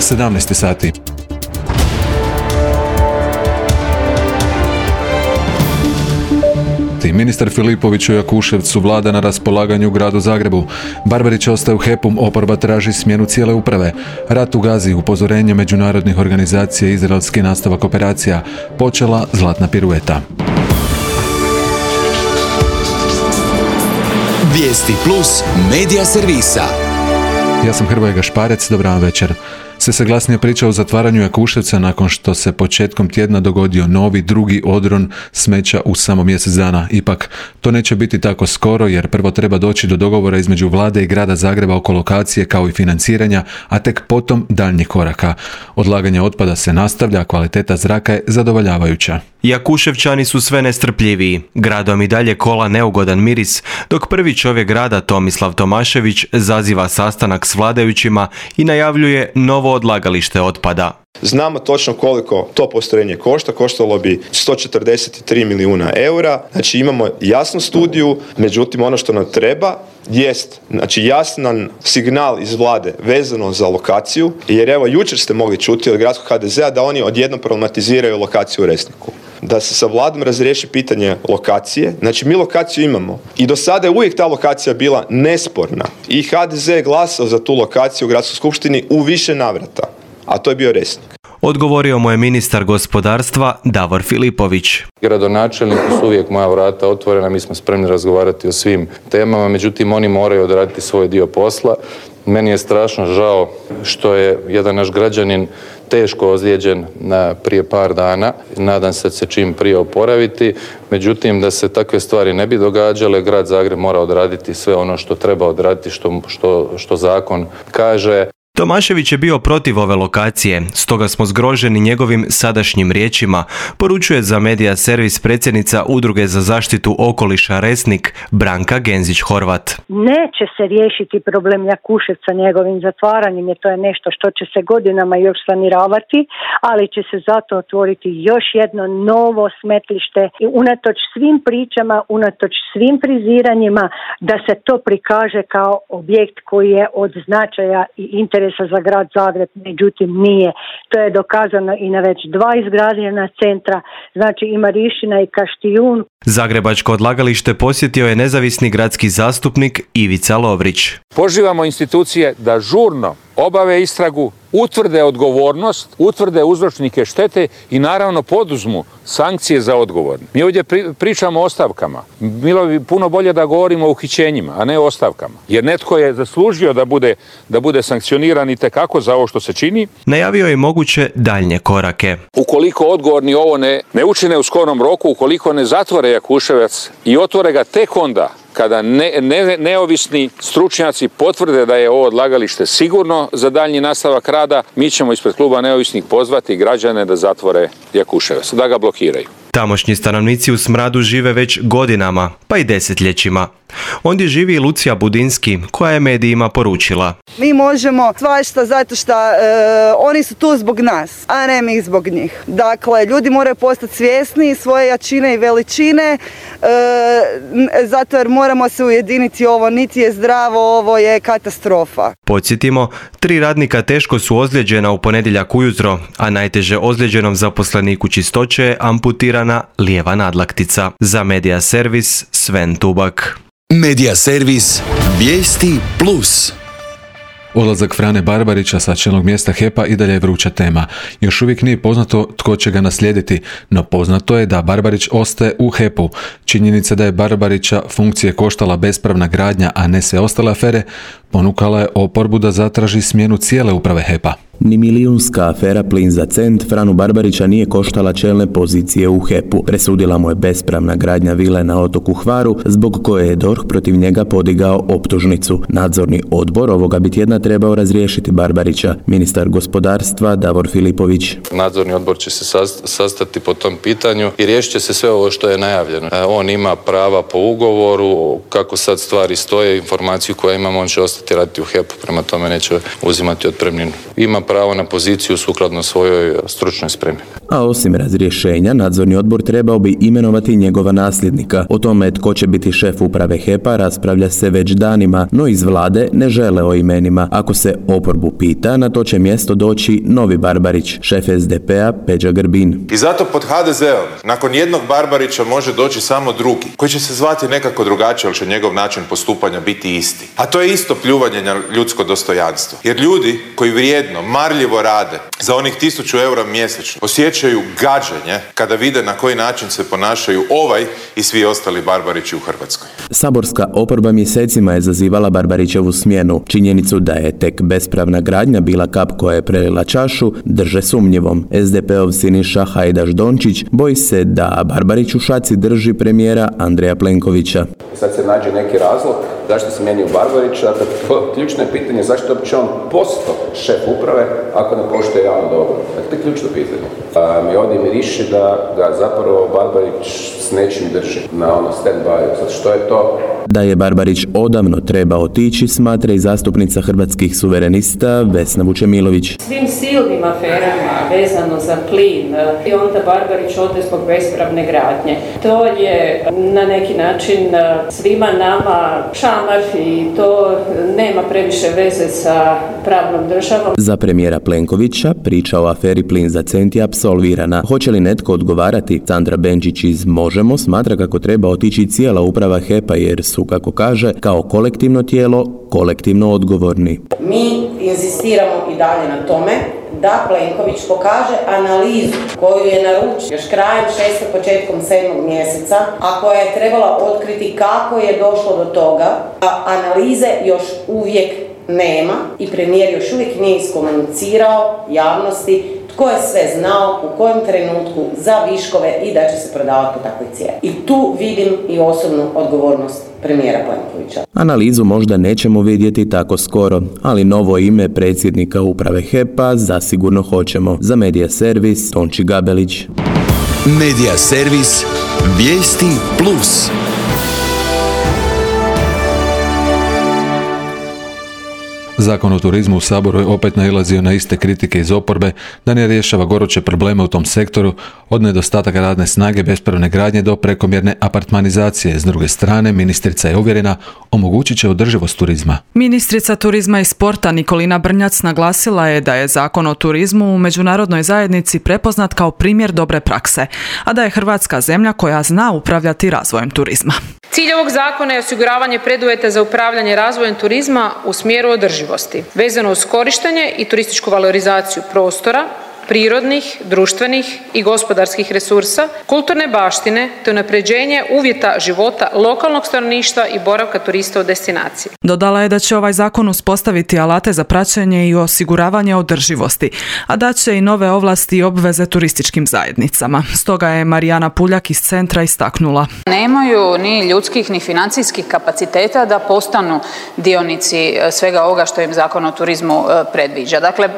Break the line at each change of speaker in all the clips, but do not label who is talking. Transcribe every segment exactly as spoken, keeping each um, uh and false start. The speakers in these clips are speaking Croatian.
sedamnaest sati. Ministar Filipović u Jakuševcu vlada na raspolaganju u gradu Zagrebu. Barbarić ostaje u H E P-u, oporba traži smjenu cijele uprave. Rat u Gazi, upozorenje međunarodnih organizacija, izraelski nastavak operacija. Počela zlatna pirueta.
Vijesti plus medija servisa.
Ja sam Hrvoje Gašparec, dobar vam večer. Sve se glasnije priča o zatvaranju Jakuševca nakon što se početkom tjedna dogodio novi drugi odron smeća u samo mjesec dana. Ipak, to neće biti tako skoro jer prvo treba doći do dogovora između vlade i grada Zagreba oko lokacije kao i financiranja, a tek potom daljnjih koraka. Odlaganje otpada se nastavlja, a kvaliteta zraka je zadovoljavajuća.
Jakuševčani su sve nestrpljiviji. Gradom i dalje kola neugodan miris, dok prvi čovjek grada Tomislav Tomašević zaziva sastanak s vladajućima i najavljuje novo odlagalište otpada.
Znamo točno koliko to postrojenje košta, koštalo bi sto četrdeset tri milijuna eura, znači imamo jasnu studiju, međutim ono što nam treba jest, znači jasan signal iz vlade vezano za lokaciju, jer evo jučer ste mogli čuti od gradskog H D Z-a da oni odjednom problematiziraju lokaciju u Resniku. Da se sa vladom razriješi pitanje lokacije, znači mi lokaciju imamo i do sada je uvijek ta lokacija bila nesporna i H D Z je glasao za tu lokaciju u gradskoj skupštini u više navrata, a to je bio Resnik.
Odgovorio mu je ministar gospodarstva Davor Filipović.
Gradonačelniku su uvijek moja vrata otvorena, mi smo spremni razgovarati o svim temama, međutim oni moraju odraditi svoj dio posla. Meni je strašno žao što je jedan naš građanin teško ozlijeđen na prije par dana. Nadam se da se čim prije oporaviti. Međutim, da se takve stvari ne bi događale, grad Zagreb mora odraditi sve ono što treba odraditi, što, što, što zakon kaže.
Tomašević je bio protiv ove lokacije, stoga smo zgroženi njegovim sadašnjim riječima, poručuje za medija servis predsjednica Udruge za zaštitu okoliša Resnik Branka Genzić-Horvat.
Neće se riješiti problem Jakuševca njegovim zatvaranjem, jer to je nešto što će se godinama još saniravati, ali će se zato otvoriti još jedno novo smetlište i unatoč svim pričama, unatoč svim friziranjima, da se to prikaže kao objekt koji je od značaja i interesa za grad Zagreb, međutim nije. To je dokazano i na već dva izgrađena centra, znači i Marišina i Kaštijun.
Zagrebačko odlagalište posjetio je nezavisni gradski zastupnik Ivica Lovrić.
Pozivamo institucije da žurno obave istragu, utvrde odgovornost, utvrde uzročnike štete i naravno poduzmu sankcije za odgovorne. Mi ovdje pri, pričamo o ostavkama. Bilo bi puno bolje da govorimo o uhićenjima, a ne o ostavkama. Jer netko je zaslužio da bude, da bude sankcioniran i tekako za ovo što se čini.
Najavio je moguće daljnje korake.
Ukoliko odgovorni ovo ne, ne učine u skorom roku, ukoliko ne zatvore Jakuševac i otvore ga tek onda, kada ne, ne, neovisni stručnjaci potvrde da je ovo odlagalište sigurno za daljnji nastavak rada, mi ćemo ispred kluba neovisnih pozvati građane da zatvore Jakuševac, da ga blokiraju.
Tamošnji stanovnici u smradu žive već godinama, pa i desetljećima. Ondje živi i Lucija Budinski, koja je medijima poručila.
Mi možemo svašta zato što e, oni su tu zbog nas, a ne mi zbog njih. Dakle, ljudi moraju postati svjesni svoje jačine i veličine, e, zato jer moramo se ujediniti, ovo niti je zdravo, ovo je katastrofa.
Podsjetimo, tri radnika teško su ozlijeđena u ponedjeljak ujutro, a najteže ozlijeđenom zaposleniku čistoće je amputirana lijeva nadlaktica. Za medija servis Sven Tubak.
Medija servis Vijesti plus.
Odlazak Frane Barbarića sa čelnog mjesta H E P-a i dalje je vruća tema. Još uvijek nije poznato tko će ga naslijediti, no poznato je da Barbarić ostaje u H E P-u. Činjenica da je Barbarića funkcije koštala bespravna gradnja, a ne sve ostale afere, ponukala je oporbu da zatraži smjenu cijele uprave H E P-a.
Ni milijunska afera Plin za cent Franu Barbarića nije koštala čelne pozicije u H E P-u. Presudila mu je bespravna gradnja vile na otoku Hvaru, zbog koje je D O R H protiv njega podigao optužnicu. Nadzorni odbor ovoga bi tjedna trebao razriješiti Barbarića. Ministar gospodarstva Davor Filipović.
Nadzorni odbor će se sastati po tom pitanju i riješit će se sve ovo što je najavljeno. On ima prava po ugovoru, kako sad stvari stoje, informaciju koju imamo, on će ostati ostati raditi u H E P-u, prema tome neće uzimati otpremninu. Ima pravo na poziciju sukladno svojoj stručnoj spremi.
A osim razrješenja, nadzorni odbor trebao bi imenovati njegova nasljednika. O tome tko će biti šef uprave H E P-a raspravlja se već danima, no iz vlade ne žele o imenima. Ako se oporbu pita, na to će mjesto doći novi Barbarić, šef S D P-a Peđa Grbin.
I zato pod H D Z-om nakon jednog Barbarića može doći samo drugi, koji će se zvati nekako drugačije, ali će njegov način postupanja biti isti. A to je isto pljuvanje na ljudsko dostojanstvo. Jer ljudi koji vrijedno, marljivo rade za onih tisuću eura mjesečno osjećaju gađenje kada vide na koji način se ponašaju ovaj i svi ostali Barbarići u Hrvatskoj.
Saborska oporba mjesecima je zazivala Barbarićevu smjenu. Činjenicu da je tek bespravna gradnja bila kap koja je prelila čašu drže sumnjivom. S D P-ov Siniša Hajdaš Dončić boji se da Barbarić u šaci drži premijera Andreja Plenkovića.
Sad se nađe neki razlog zašto se mijenio Barbarića, a ključno je pitanje zašto uopće on postao šef uprave ako ne poštuje javno dobro. Dakle, to je ključno pitanje. A mi ovdje miriši da ga zapravo Barbarić s nečim drži na ono stand-by. Sad što je to?
Da je Barbarić odavno treba otići, smatra i zastupnica Hrvatskih suverenista Vesna Vučemilović.
Svim silnim aferama vezano za plin i onda Barbarić ode zbog bespravne gradnje. To je na neki način svima nama šamar i to nema previše veze sa pravnom državom.
Za premijera Plenkovića priča o aferi Plin za cent je apsolvirana. Hoće li netko odgovarati? Sandra Benčić iz Možemo smatra kako treba otići cijela uprava H E P-a jer su, kako kaže, kao kolektivno tijelo kolektivno odgovorni.
Mi inzistiramo i dalje na tome da Plenković pokaže analizu koju je naručio još krajem šestog, početkom sedmog mjeseca, a koja je trebala otkriti kako je došlo do toga, a analize još uvijek nema i premijer još uvijek nije iskomunicirao javnosti tko je sve znao, u kojem trenutku za viškove i da će se prodavati po takvoj cijeni. I tu vidim i osobnu odgovornost premijera Plenkovića.
Analizu možda nećemo vidjeti tako skoro, ali novo ime predsjednika uprave H E P-a zasigurno hoćemo. Za Medija Servis, Tonči Gabelić.
Medija Servis, Vijesti Plus.
Zakon o turizmu u Saboru je opet nailazio na iste kritike iz oporbe da ne rješava goruće probleme u tom sektoru, od nedostataka radne snage, bespravne gradnje do prekomjerne apartmanizacije. S druge strane, ministrica je uvjerena omogućit će održivost turizma.
Ministrica turizma i sporta Nikolina Brnjac naglasila je da je Zakon o turizmu u međunarodnoj zajednici prepoznat kao primjer dobre prakse, a da je Hrvatska zemlja koja zna upravljati razvojem turizma.
Cilj ovog zakona je osiguravanje preduvjeta za upravljanje razvojem turizma u smjeru održivosti, vezano uz korištenje i turističku valorizaciju prostora, prirodnih, društvenih i gospodarskih resursa, kulturne baštine te unapređenje uvjeta života lokalnog stanovništva i boravka turista u destinaciji.
Dodala je da će ovaj zakon uspostaviti alate za praćenje i osiguravanje održivosti, a da će i nove ovlasti i obveze turističkim zajednicama. Stoga je Marijana Puljak iz centra istaknula.
Nemaju ni ljudskih ni financijskih kapaciteta da postanu dionici svega ovoga što im Zakon o turizmu predviđa. Dakle,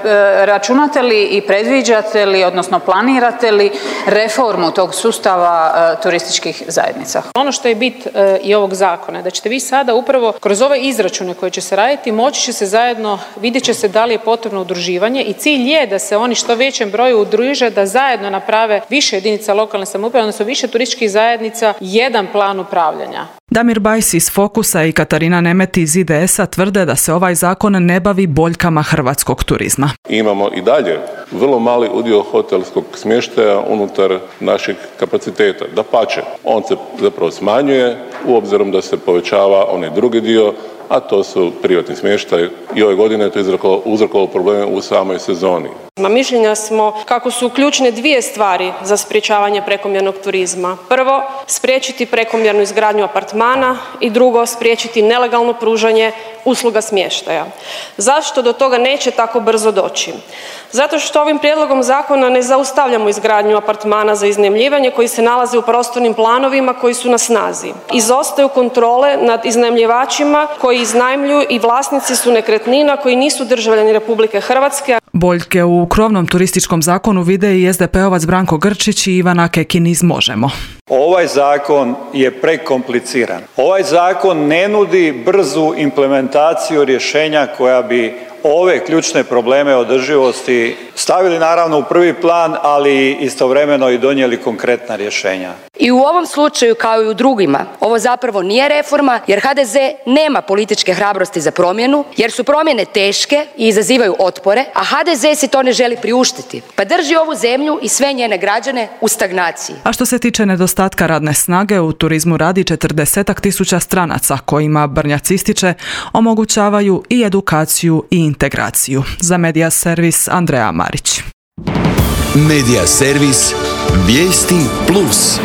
računate li i predviđate Predviđate li, odnosno planirate li reformu tog sustava e, turističkih zajednica?
Ono što je bit e, i ovog zakona, da ćete vi sada upravo kroz ove izračune koje će se raditi, moći će se zajedno, vidjet će se da li je potrebno udruživanje i cilj je da se oni što većem broju udruže, da zajedno naprave više jedinica lokalne samouprave, odnosno više turističkih zajednica, jedan plan upravljanja.
Damir Bajs iz Fokusa i Katarina Nemeti iz I D S-a tvrde da se ovaj zakon ne bavi boljkama hrvatskog turizma.
Imamo i dalje vrlo mali udio hotelskog smještaja unutar naših kapaciteta. Dapače, on se zapravo smanjuje u obzirom da se povećava onaj drugi dio, a to su privatni smještaj i ove godine je to uzrokovalo probleme u samoj sezoni.
Mišljenja smo kako su ključne dvije stvari za sprječavanje prekomjernog turizma. Prvo, spriječiti prekomjernu izgradnju apartmana i drugo, spriječiti nelegalno pružanje usluga smještaja. Zašto do toga neće tako brzo doći? Zato što ovim prijedlogom zakona ne zaustavljamo izgradnju apartmana za iznajmljivanje koji se nalaze u prostornim planovima koji su na snazi. Izostaju kontrole nad iznajmljivačima koji iznajmljuju i vlasnici su nekretnina koji nisu državljani Republike Hrvatske.
Boljke u krovnom turističkom zakonu vide i S D P-ovac Branko Grčić i Ivana Kekin iz Možemo.
Ovaj zakon je prekompliciran. Ovaj zakon ne nudi brzu implementaciju rješenja koja bi ove ključne probleme održivosti stavili naravno u prvi plan, ali istovremeno i donijeli konkretna rješenja.
I u ovom slučaju kao i u drugima, ovo zapravo nije reforma jer H D Z nema političke hrabrosti za promjenu, jer su promjene teške i izazivaju otpore, a H D Z si to ne želi priuštiti, pa drži ovu zemlju i sve njene građane u stagnaciji.
A što se tiče nedostatka radne snage, u turizmu radi četrdesetak tisuća stranaca kojima Brnjac ističe omogućavaju i edukaciju i integraciju. Za Medija servis Andreja Marić.
Medija servis Vijesti plus.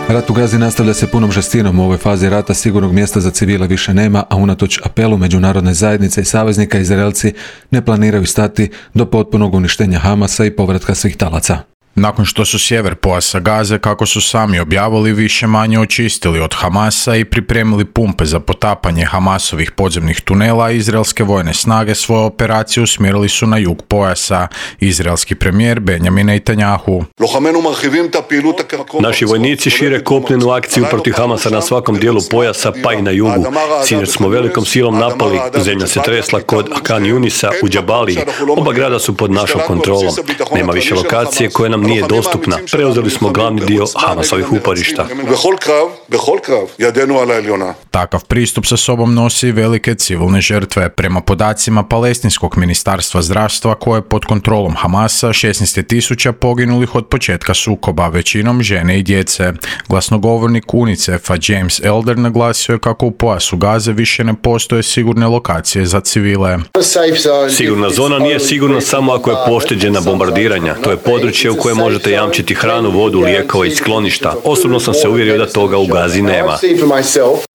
Rat u Gazi nastavlja se punom žestinom. U ovoj fazi rata sigurnog mjesta za civile više nema, a unatoč apelu međunarodne zajednice i saveznika, Izraelci ne planiraju stati do potpunog uništenja Hamasa i povratka svih talaca.
Nakon što su sjever pojasa Gaze, kako su sami objavili, više manje očistili od Hamasa i pripremili pumpe za potapanje Hamasovih podzemnih tunela, izraelske vojne snage svoje operacije usmjerili su na jug pojasa. Izraelski premijer Benjamin Netanjahu.
Naši vojnici šire kopnenu akciju protiv Hamasa na svakom dijelu pojasa, pa i na jugu. Sinoć smo velikom silom napali, zemlja se tresla kod Khan Yunisa u Džabaliji. Oba grada su pod našom kontrolom. Nema više lokacije koje nam nije dostupna. Preuzeli smo glavni dio Hamasovih uporišta.
Takav pristup sa sobom nosi velike civilne žrtve. Prema podacima Palestinskog ministarstva zdravstva, koje je pod kontrolom Hamasa, šesnaest tisuća poginulih od početka sukoba, većinom žene i djece. Glasnogovornik UNICEF-a James Elder naglasio je kako u pojasu Gaze više ne postoje sigurne lokacije za civile.
Sigurna zona nije sigurna samo ako je pošteđena bombardiranja. To je područje u kojem možete jamčiti hranu, vodu, lijekove i skloništa. Osobno sam se uvjerio da toga u Gazi nema.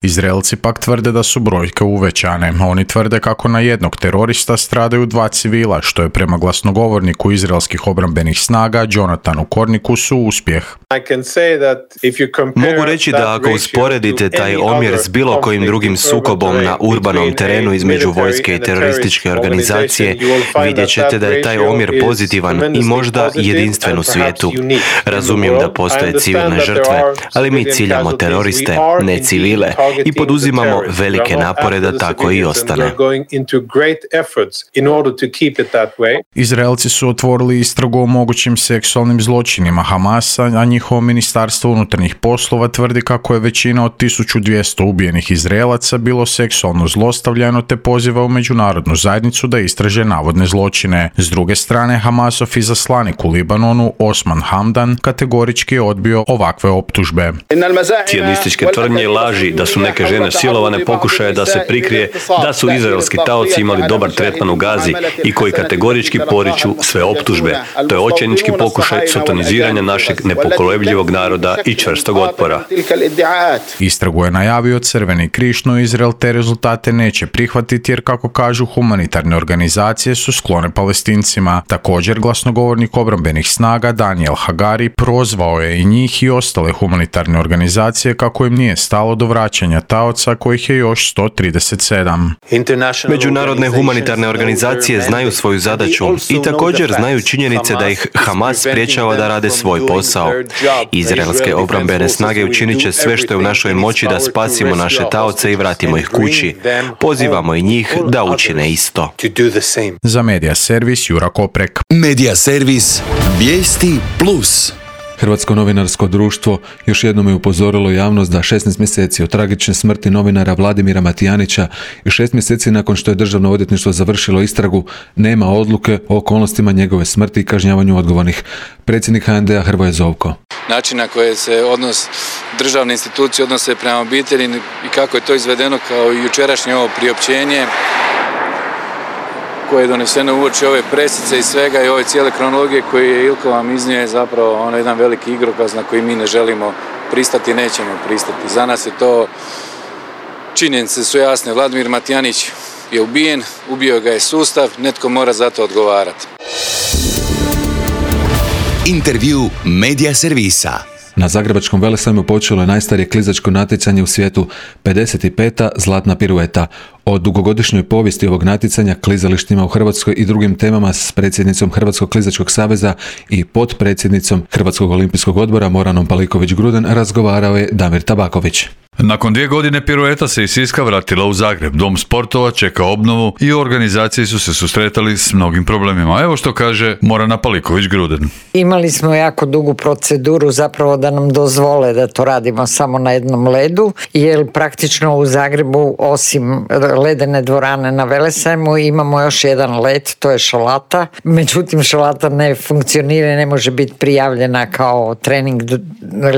Izraelci pak tvrde da su brojke uvećane. Oni tvrde kako na jednog terorista stradaju dva civila, što je prema glasnogovorniku izraelskih obrambenih snaga Jonathanu Kornikusu uspjeh.
Mogu reći da ako usporedite taj omjer s bilo kojim drugim sukobom na urbanom terenu između vojske i terorističke organizacije, vidjet ćete da je taj omjer pozitivan i možda jedinstven u svijetu. Razumijem da postoje civilne žrtve, ali mi ciljamo teroriste, ne civile, i poduzimamo velike napore da tako i ostane.
Izraelci su otvorili istragu o mogućim seksualnim zločinima Hamasa, a njihovo ministarstvo unutarnjih poslova tvrdi kako je većina od tisuću dvjesto ubijenih Izraelaca bilo seksualno zlostavljano, te poziva u međunarodnu zajednicu da istraže navodne zločine. S druge strane, Hamasov izaslanik u Libanonu Osman Hamdan kategorički je odbio ovakve optužbe.
Cijonističke tvrdnje i laži da su neke žene silovane pokušaje da se prikrije da su izraelski taoci imali dobar tretman u Gazi i koji kategorički poriču sve optužbe. To je očajnički pokušaj sotoniziranja našeg nepokolebljivog naroda i čvrstog otpora.
Istragu je najavio Crveni križ, no Izrael te rezultate neće prihvatiti jer, kako kažu, humanitarne organizacije su sklone Palestincima. Također, glasnogovornik obrambenih snaga Daniel Hagari prozvao je i njih i ostale humanitarne organizacije kako im nije stalo do vraćanja taoca, kojih je još sto trideset sedam.
Međunarodne humanitarne organizacije znaju svoju zadaću i također znaju činjenice da ih Hamas sprječava da rade svoj posao. Izraelske obrambene snage učinit će sve što je u našoj moći da spasimo naše taoce i vratimo ih kući. Pozivamo i njih da učine isto.
Za Medija servis Jura Koprek.
Medija servis Vijesti plus.
Hrvatsko novinarsko društvo još jednom je upozorilo javnost da šesnaest mjeseci od tragične smrti novinara Vladimira Matijanića i šest mjeseci nakon što je Državno odvjetništvo završilo istragu, nema odluke o okolnostima njegove smrti i kažnjavanju odgovornih. Predsjednik H N D-a Hrvoje Zovko.
Način na koje se odnos državne institucije odnose prema obitelji i kako je to izvedeno kao i jučerašnje ovo priopćenje koje je doneseno uoči ove presice i svega i ove cijele kronologije koje je Ilko vam iznio, je zapravo ono jedan veliki igrokaz na koji mi ne želimo pristati i nećemo pristati. Za nas je to, činjenice su jasne, Vladimir Matijanić je ubijen, ubio ga je sustav, netko mora za to odgovarati.
Intervju Medija servisa.
Na Zagrebačkom velesajmu počelo je najstarije klizačko natjecanje u svijetu, pedeset peta zlatna pirueta. O dugogodišnjoj povijesti ovog natjecanja, klizalištima u Hrvatskoj i drugim temama s predsjednicom Hrvatskog klizačkog saveza i potpredsjednicom Hrvatskog olimpijskog odbora Moranom Paliković-Gruden razgovarao je Damir Tabaković.
Nakon dvije godine pirueta se iz Siska vratila u Zagreb. Dom sportova čeka obnovu i u organizaciji su se susretali s mnogim problemima. Evo što kaže Morana Paliković-Gruden.
Imali smo jako dugu proceduru zapravo da nam dozvole da to radimo samo na jednom ledu, jer praktično u Zagrebu osim ledene dvorane na Velesajmu imamo još jedan led, to je šalata. Međutim, šalata ne funkcionira i ne može biti prijavljena kao trening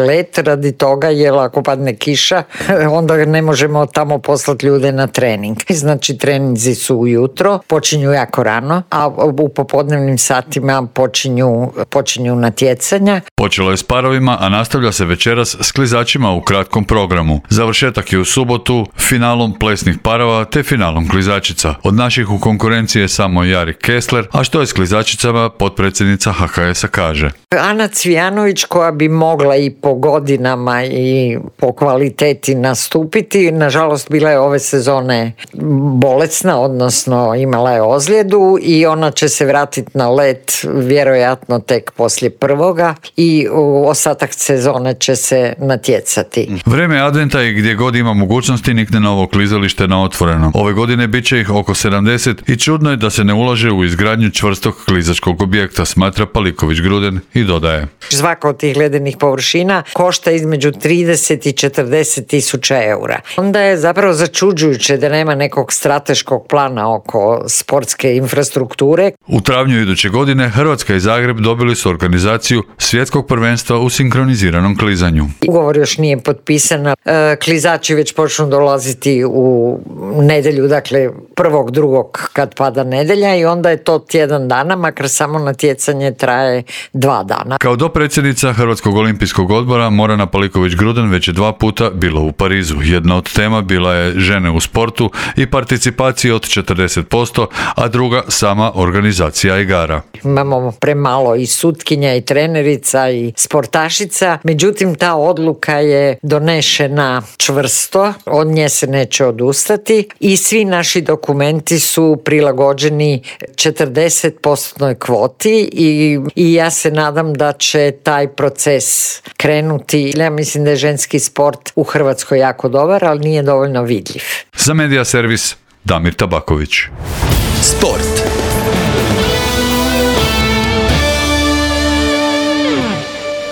led radi toga, jer ako padne kiša onda ne možemo tamo poslati ljude na trening. Znači treninzi su ujutro, počinju jako rano, a u popodnevnim satima počinju, počinju natjecanja.
Počelo je s parovima, a nastavlja se večeras s klizačima u kratkom programu. Završetak je u subotu finalom plesnih parova te finalom klizačica. Od naših u konkurenciji je samo Jari Kessler, a što je s klizačicama, potpredsjednica H K S-a kaže.
Ana Cvijanović, koja bi mogla i po godinama i po kvaliteti nastupiti, nažalost bila je ove sezone bolesna, odnosno imala je ozljedu i ona će se vratiti na led vjerojatno tek poslije prvoga i u ostatak sezone će se natjecati.
Vreme adventa i gdje god ima mogućnosti nikne novo klizalište na otvoreno. Ove godine bit će ih oko sedamdeset i čudno je da se ne ulaže u izgradnju čvrstog klizačkog objekta, smatra Paliković-Gruden i dodaje.
Svaka od tih ledenih površina košta između trideset i četrdeset tisuća eura. Onda je zapravo začuđujuće da nema nekog strateškog plana oko sportske infrastrukture.
U travnju iduće godine Hrvatska i Zagreb dobili su organizaciju svjetskog prvenstva u sinkroniziranom klizanju.
Ugovor još nije potpisan. Klizači već počnu dolaziti u nedjelju, dakle prvog, drugog kad pada nedjelja i onda je to tjedan dana, makar samo natjecanje traje dva dana.
Kao dopredsjednica Hrvatskog olimpijskog odbora Morana Paliković-Gruden već je dva puta bilo u Parizu. Jedna od tema bila je žene u sportu i participacije od četrdeset posto, a druga sama organizacija igara.
Imamo premalo i sutkinja i trenerica i sportašica, međutim ta odluka je donešena čvrsto, od nje se neće odustati i svi naši dokumenti su prilagođeni četrdeset posto kvoti i, i ja se nadam da će taj proces krenuti. Ja mislim da je ženski sport u Hrvatskoj jako dobar, ali nije dovoljno vidljiv.
Za Medija servis Damir Tabaković.
Sport.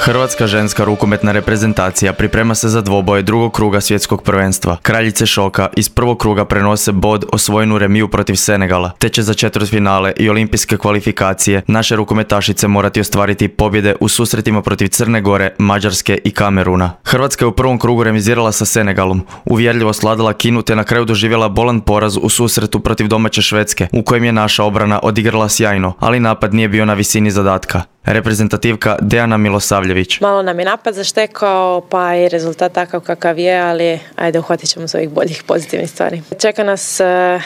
Hrvatska ženska rukometna reprezentacija priprema se za dvoboje drugog kruga svjetskog prvenstva. Kraljice šoka iz prvog kruga prenose bod osvojenu remiju protiv Senegala, te će za četvrtfinale i olimpijske kvalifikacije naše rukometašice morati ostvariti pobjede u susretima protiv Crne Gore, Mađarske i Kameruna. Hrvatska je u prvom krugu remizirala sa Senegalom, uvjerljivo sladala Kinu te na kraju doživjela bolan poraz u susretu protiv domaće Švedske, u kojem je naša obrana odigrala sjajno, ali napad nije bio na visini zadatka. Reprezentativka Dejana Milosavljević.
Malo nam je napad zaštekao, pa i rezultat takav kakav je, ali ajde, uhvatit ćemo s ovih boljih pozitivnih stvari. Čeka nas,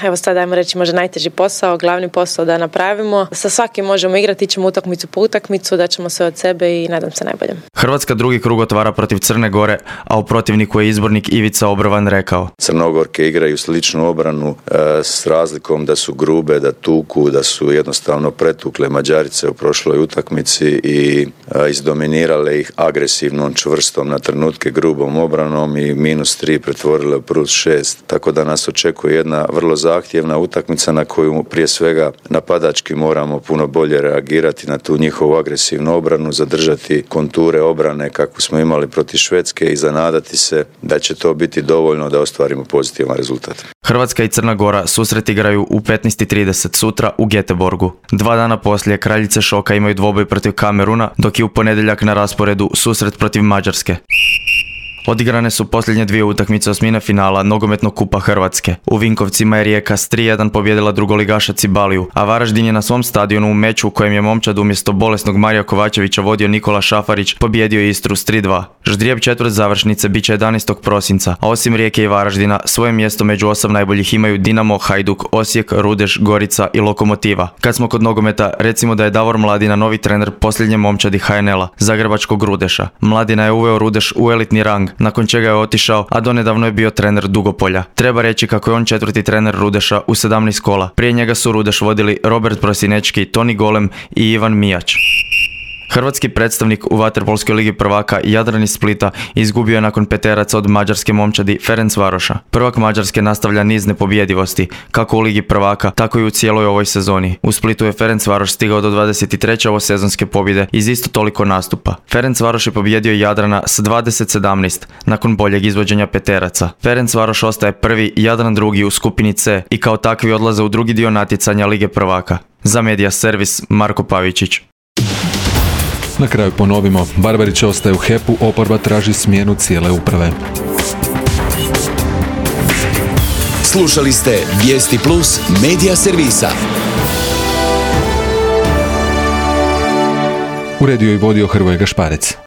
evo sad ajmo reći, možda najteži posao, glavni posao da napravimo. Sa svakim možemo igrati, ćemo utakmicu po utakmicu, da ćemo sve od sebe i nadam se najboljem.
Hrvatska drugi krug otvara protiv Crne Gore, a u protivniku je izbornik Ivica Obrovan rekao.
Crnogorke igraju sličnu obranu e, s razlikom da su grube, da tuku, da su jednostavno pretukle Mađarice u prošloj utakmici i a, izdominirale ih agresivnom, čvrstom, na trenutke grubom obranom i minus tri pretvorile u plus šest. Tako da nas očekuje jedna vrlo zahtjevna utakmica na koju prije svega napadački moramo puno bolje reagirati na tu njihovu agresivnu obranu, zadržati konture obrane kako smo imali protiv Švedske i zanadati se da će to biti dovoljno da ostvarimo pozitivan rezultat.
Hrvatska i Crna Gora susret igraju u petnaest i trideset sutra u Göteborgu. Dva dana poslije kraljice šoka imaju dvoboj protiv Kameruna, dok je u ponedjeljak na rasporedu susret protiv Mađarske. Odigrane su posljednje dvije utakmice osmine finala nogometnog kupa Hrvatske. U Vinkovcima je Rijeka s tri jedan pobjedila drugoligaša Cibaliju, a Varaždin je na svom stadionu u meču u kojem je momčad umjesto bolesnog Marija Kovačevića vodio Nikola Šafarić pobjedio Istru s tri dva. Ždrijeb četvrt završnice bit će jedanaestog prosinca, a osim Rijeke i Varaždina svoje mjesto među osam najboljih imaju Dinamo, Hajduk, Osijek, Rudeš, Gorica i Lokomotiva. Kad smo kod nogometa, recimo da je Davor Mladina novi trener posljednje momčadi ha en el-a, zagrebačkog Rudeša. Mladina je uveo Rudeš u elitni rang, nakon čega je otišao, a donedavno je bio trener Dugopolja. Treba reći kako je on četvrti trener Rudeša u sedamnaest kola. Prije njega su Rudeš vodili Robert Prosinečki, Toni Golem i Ivan Mijač. Hrvatski predstavnik u vaterpolskoj ligi prvaka Jadran iz Splita izgubio je nakon peteraca od mađarske momčadi Ferencvaroša. Prvak Mađarske nastavlja niz nepobjedivosti, kako u ligi prvaka, tako i u cijeloj ovoj sezoni. U Splitu je Ferencvaroš stigao do dvadeset treće ovosezonske pobjede iz isto toliko nastupa. Ferencvaroš je pobjedio Jadrana s dvadeset sedamnaest nakon boljeg izvođenja peteraca. Ferencvaroš ostaje prvi, Jadran drugi u skupini C i kao takvi odlaze u drugi dio natjecanja lige prvaka. Za Medija Servis, Marko Pavičić.
Na kraju ponovimo, Barbarić ostaje u he pu, oporba traži smjenu cijele uprave.
Slušali ste Vijesti Plus Medija Servisa.
Uredio i vodio Hrvoje Gašparec.